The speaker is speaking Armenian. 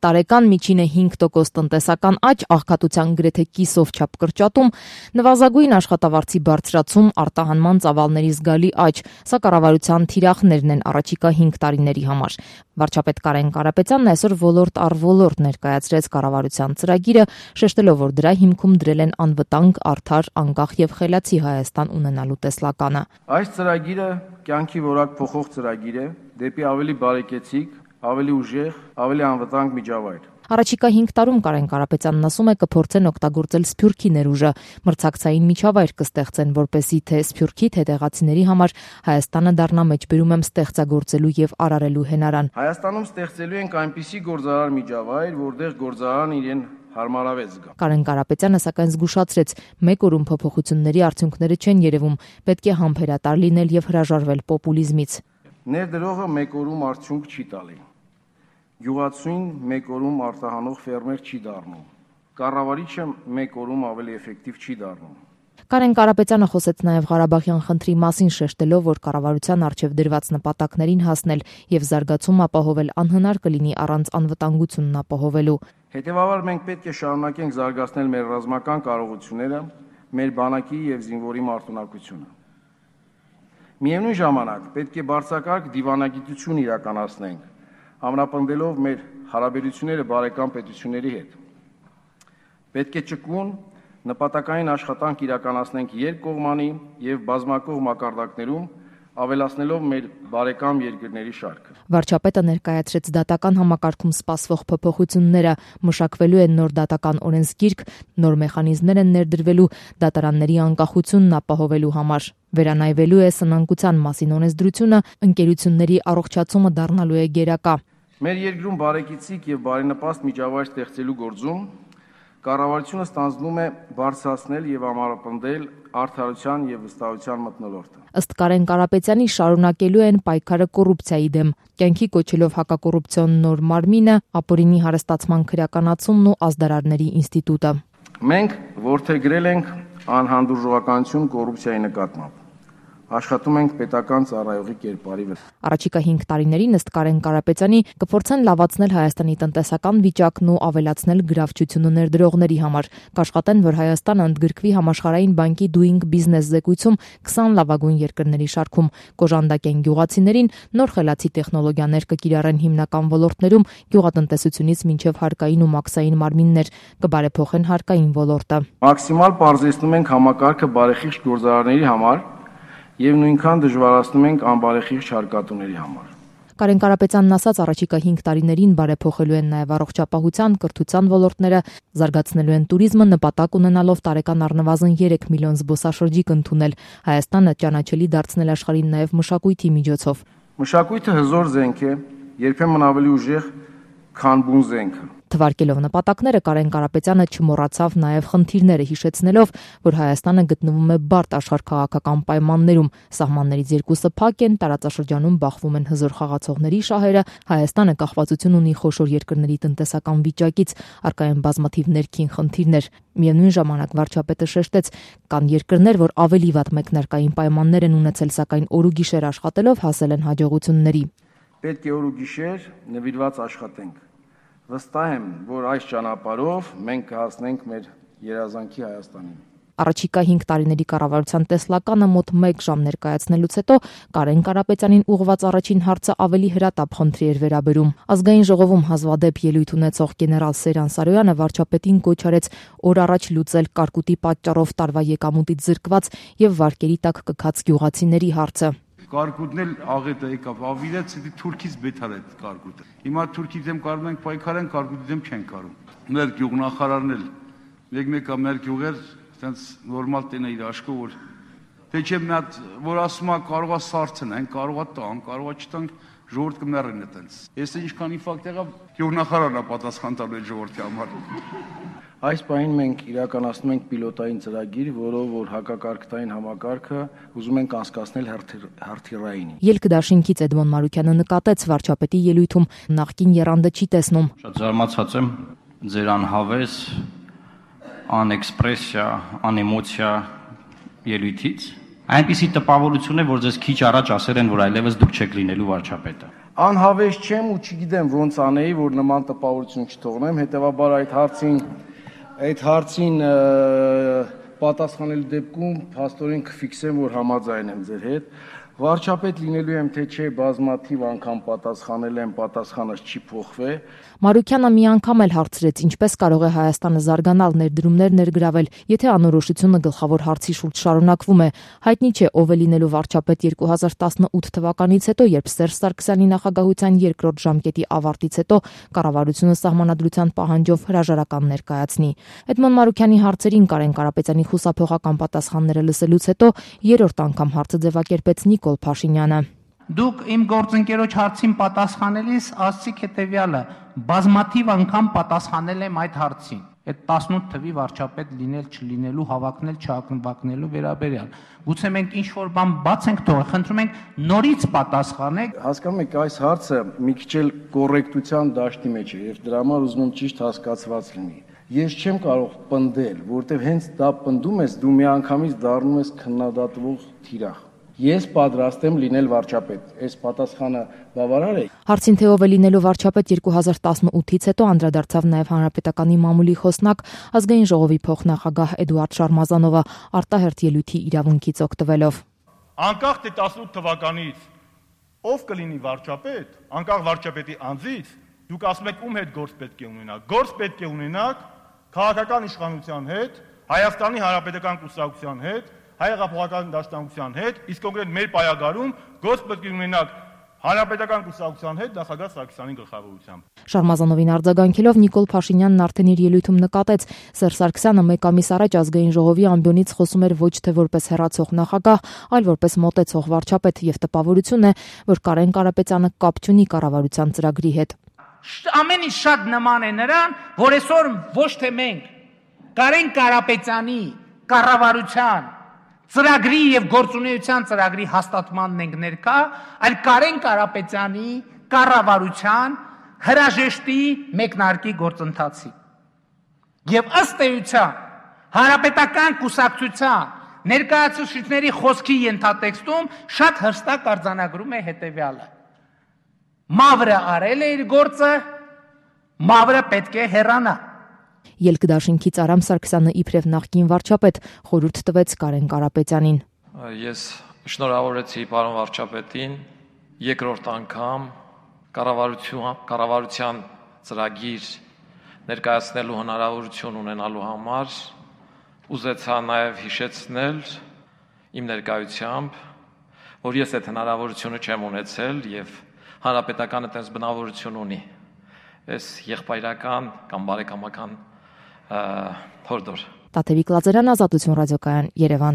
տարեկան միջինը 5% տնտեսական աճ, աղքատության գրեթե կիսով չափ կրճատում, նվազագույն աշխատավարձի բարձրացում, արտահանման ծավալների զգալի աճ, սա կառավարության թիրախներն են առաջիկա 5 տարիների համար։ Վարչապետ Կարեն Կարապետյանն այսօր ոլորտ առ ոլորտ ներկայացրեց կառավարության ծրագիրը, շեշտելով, որ դրա հիմքում դրել են անվտանգ, արդար, անկախ եւ խելացի Հայաստան ունենալու տեսլականը։ Այս ծրագիրը կյանքի որակ փոխող ծրագիր է դեպի ավելի բարեկեցիկ, ավելի ուժեղ, ավելի անվտանգ միջավայր։ Առաջիկա 5 տարում Կարեն Կարապետյանն ասում է կփորձեն օգտագործել Սփյուռքի ներուժը, մրցակցային միջավայր կստեղծեն, որպեսզի թե Սփյուռքի, թե տեղացիների համար Հայաստանը դառնա մեջբերում եմ ստեղծագործելու եւ արարելու հենարան։ Հայաստանում ստեղծելու ենք այնպիսի գործարար միջավայր, որտեղ գործարարն իրեն հարմարավետ զգա։ Կարեն Կարապետյանը սակայն զգուշացրեց, մեկ օրում փոփոխությունների արդյունքները չեն երևում, պետք է համբերատար լինել եւ հրաժարվել պոպուլիզմից։ Ներդրողը մեկ օրում արդյունք չի տալի։ Գյուղացուն մեկ օրում արտահանող ֆերմեր չի դառնում։ Կառավարիչը մեկ օրում ավելի էֆեկտիվ չի դառնում։ Կարեն Կարապետյանը խոսեց նաև Ղարաբաղյան խնդրի մասին, շեշտելով, որ կառավարության առջև դրված նպատակներին հասնել եւ զարգացում ապահովել անհնար կլինի առանց անվտանգությունն ապահովելու։ Հետևաբար մենք պետք է շարունակենք զարգացնել մեր ռազմական կարողությունները, մեր բանակի եւ զինվորի մարտունակությունը։ Միևնույն ժամանակ պետք է բարձրակարգ դիվանագիտություն իրականացնենք, ամրապնդելով մեր հարաբերությունները բարեկամ պետությունների հետ։ Պետք է ճկուն նպատակային աշխատանք իրականացնենք երկկողմանի եւ բազմակողմ մակարդակներում, ավելացնելով մեր բարեկամ երկրների շարքը։ Վարչապետը ներկայացրեց դատական համակարգում սպասվող փոփոխությունները, մշակվելու են նոր դատական օրենսգիրք, նոր մեխանիզմներ են ներդրվելու դատարանների անկախությունն ապահովելու համար։ Վերանայվելու է սնանկության մասին օրենսդրությունը, ընկերությունների առողջացումը դառնալու է գերակա։ Մեր երկրում բարեկեցիկ եւ բարենպաստ միջավայր ստեղծելու գործում կառավարությունը ստանձնում է բարձրացնել եւ ամրապնդել արդարության եւ վստահության մթնոլորտը։ Ըստ Կարեն Կարապետյանի շարունակելու են պայքարը կոռուպցիայի դեմ, կյանքի կոչելով հակակոռուպցիոն նոր մարմինը, ապօրինի հարստացման քրեականացումն ու ազդարարների ինստիտուտը։ Մենք որդեգրել ենք անհանդուրժողականություն կոռուպցիայի նկատմամբ։ Աշխատում ենք պետական ծառայողի կերպարի վրա։ Առաջիկա 5 տարիներին ըստ Կարեն Կարապետյանի կփորձեն լավացնել Հայաստանի տնտեսական վիճակն ու ավելացնել գրավչությունը ներդրողների համար։ Կաշխատեն, որ Հայաստանը ընդգրկվի համաշխարհային բանկի Doing Business զեկույցում 20 լավագույն երկրների շարքում, կոժանդակեն գյուղացիներին, նոր խելացի տեխնոլոգիաներ կկիրառեն հիմնական ոլորտներում, գյուղատնտեսությունից մինչև հարկային ու մաքսային մարմիններ, կբարեփոխեն հարկային ոլորտը։ Մաքսիմալ բարձրացնում ենք համակարգը բարեխիղճ գործարանների համար եւ նույնքան դժվարացնում ենք անբարեխիղճ հարկատուների համար։ Կարեն Կարապետյանն ասաց, առաջիկա 5 տարիներին բարեփոխելու են նաև առողջապահության, կրթության ոլորտները, զարգացնելու են туриզմը, նպատակ ունենալով տարեկան առնվազն 3 միլիոն զբոսաշրջիկ ընդունել, Հայաստանը ճանաչելի դարձնել աշխարհին նաև մշակույթի միջոցով։ Մշակույթը հզոր զենք է, երբեմն ավելի ուժեղ, քան բուն զենքը։ Թվարկելով նպատակները Կարեն Կարապետյանը չմոռացավ նաև խնդիրները, հիշեցնելով, որ Հայաստանը գտնվում է բարդ աշխարհքաղաքական պայմաններում, սահմաններից երկուսը փակ են, տարածաշրջանում բախվում են հզոր խաղացողների շահերը, Հայաստանը կախվածություն ունի խոշոր երկրների տնտեսական վիճակից, առկա են բազմաթիվ ներքին խնդիրներ։ Միևնույն ժամանակ վարչապետը շեշտեց, կան երկրներ, որ ավելի վատ մեկնարկային պայմաններ են ունեցել, սակայն օր ու գիշեր աշխատելով հասել են հաջողությունների։ Պետք է օր ու գիշեր նվիրված աշխատենք։ Վստահ եմ, որ այս ճանապարհով մենք կհասնենք մեր երազանքի Հայաստանին։ Առաջիկա 5 տարիների կառավարության տեսլականը մոտ 1 ժամ ներկայացնելուց հետո Կարեն Կարապետյանին ուղղված առաջին հարցը ավելի հրատապ խնդրի էր վերաբերում։ Ազգային ժողովում հազվադեպ ելույթ ունեցող գեներալ Սերան Սարոյանը վարչապետին կոչ արեց օր առաջ լուծել կարկուտի պատճառով տարվա եկամուտից զրկված եւ վարկերի տակ կքած գյուղացիների հարցը։ Կարկուտն էլ աղետը եկավ, ավիրեց դի Թուրքից բեթար է կարկուտը։ Հիմա Թուրքի դեմ կարող ենք պայքարեն, կարկուտի դեմ չեն կարող։ Մեր գյուղնախարարն էլ մեկ-մեկա մեր գյուղեր, այտենց նորմալ տենը իր աշկով որ թե չէ մի հատ որ ասում է կարողա սարցնեն, կարողա տան, կարողա չտանք ժողովուրդ կմեռեն այտենց։ Ես ինչքան իֆակտ եղավ գյուղնախարարն է պատասխան տալու այդ ժողովրդի համար։ Այս պահին մենք իրականացնում ենք պիլոտային ծրագիր, որով որ հակակարգտային համակարգը ուզում ենք անցկացնել հրթիռային։ Ելք դաշինքից Էդմոն Մարուկյանը նկատեց վարչապետի ելույթում նախկին եռանդը չի տեսնում։ Շատ զարմացած եմ ձեր անհավես, անէքսպրեսիա, անեմոցիա ելույթից։ Այնպիսի տպավորություն է, որ ձեզ քիչ առաջ ասել են, որ այլևս դուք չեք լինելու վարչապետը։ Անհավես չեմ ու չգիտեմ ոնց անեի, որ նման տպավորություն չթողնեմ, հետևաբար այդ հարցին պատասխանելու դեպքում փաստորեն կֆիքսեմ, որ համաձայն եմ ձեր հետ։ Վարչապետ լինելու եմ, թե չէ, բազմաթիվ անգամ պատասխանել եմ, պատասխանս չի փոխվել։ Մարուքյանը մի անգամ էլ հարցրեց, ինչպես կարող է Հայաստանը զարգանալ, ներդրումներ ներգրավել, եթե անորոշությունը գլխավոր հարցի շուրջ շարունակվում է։ Հայտնի չէ ով է լինելու վարչապետ 2018 թվականից հետո, երբ Սերժ Սարգսյանի նախագահության երկրորդ ժամկետի ավարտից հետո կառավարությունը սահմանադրության պահանջով հրաժարական ներկայացնի։ Էդմոն Մարուքյանի հարցերին Կարեն Կարապետյանի խուսափողական պատասխանները լսելուց հետո երրորդ անգամ հարցը ձևակերպեց Նիկոլ Փաշինյանը։ Դուք իմ գործընկերոջ հարցին պատասխանելիս ասացիք հետևյալը. բազմաթիվ անգամ պատասխանել եմ այդ հարցին։ Այդ 18 թվի վարչապետ լինել չլինելու, հավակնել չհավակնելու վերաբերյալ։ Գուցե մենք ինչ-որ բան բաց ենք թողել, խնդրում ենք նորից պատասխանեք։ Հասկանում եք, այս հարցը մի քիչ էլ կոռեկտության դաշտի մեջ է եւ դրա համար ուզում եմ ճիշտ հասկացված լինի։ Ես չեմ կարող պնդել, որտեվ հենց դա պնդում ես, դու միանգամից դառնում ես քննադատվող թիրախ։ Ես պատրաստ եմ լինել վարչապետ։ Այս պատասխանը բավարար է։ Հարցին թե ով է լինելու վարչապետ 2018-ից հետո անդրադարձավ նաև Հանրապետականի մամուլի խոսնակ, ազգային ժողովի փոխնախագահ Էդուարդ Շարմազանովը արտահերթ ելույթի իրավունքից օգտվելով։ Անկախ թե 18 թվականից ով կլինի վարչապետ, անկախ վարչապետի անձից, դուք ասում եք ում հետ գործ պետք է ունենաք։ Գործ պետք է ունենաք քաղաքական իշխանության հետ, Հայաստանի Հանրապետական կուսակցության հետ, Հայ-հեղափոխական դաշնակցության հետ, իսկ կոնկրետ մեր պայագարում գործ պետք է ունենաք Հանրապետական կուսակցության հետ նախագահ Սարգսյանի գլխավորությամբ։ Շարմազանովին արձագանքելով Նիկոլ Փաշինյանն արդեն իր ելույթում նկատեց, Սերժ Սարգսյանը մեկ ամիս առաջ ազգային ժողովի ամբիոնից խոսում էր ոչ թե որպես հեռացող նախագահ, այլ որպես մոտեցող վարչապետ եւ տպավորություն է, որ Կարեն Կարապետյանը կապ չունի կառավարության ծրագրի հետ։ Ամեն ինչ շատ նման է նրան, որ այսօր ոչ թե մենք Կարեն Կարապետյանի կառավարության ծրագրի եւ գործունեության ծրագրի հաստատմանն ենք ներկա, այլ Կարեն Կարապետյանի կառավարության հրաժեշտի մեկնարկի գործընթացի։ Եվ ըստ էության Հանրապետական կուսակցության ներկայացուցիչների խոսքի ենթատեքստում շատ հստակ արձանագրում է հետեւյալը. Մավրը արել է իր գործը, մավրը պետք է հեռանա։ Ելքդաշինքից Արամ Սարգսյանը իբրև նախկին վարչապետ խորհուրդ տվեց Կարեն Կարապետյանին։ Ես շնորհավորեցի պարոն վարչապետին երկրորդ անգամ կառավարության ծրագիր ներկայացնելու հնարավորություն ունենալու համար ուզեցա նաև հիշեցնել իմ ներկայությամբ, որ ես այդ հնարավորությունը չեմ ունեցել եւ Հանրապետականը այդպես բնավորություն ունի։ Այս եղբայրական կամ բարեկամական հորդոր։ Տաթևիկ Լազարյան, Ազատություն ռադիոկայան, Երևան։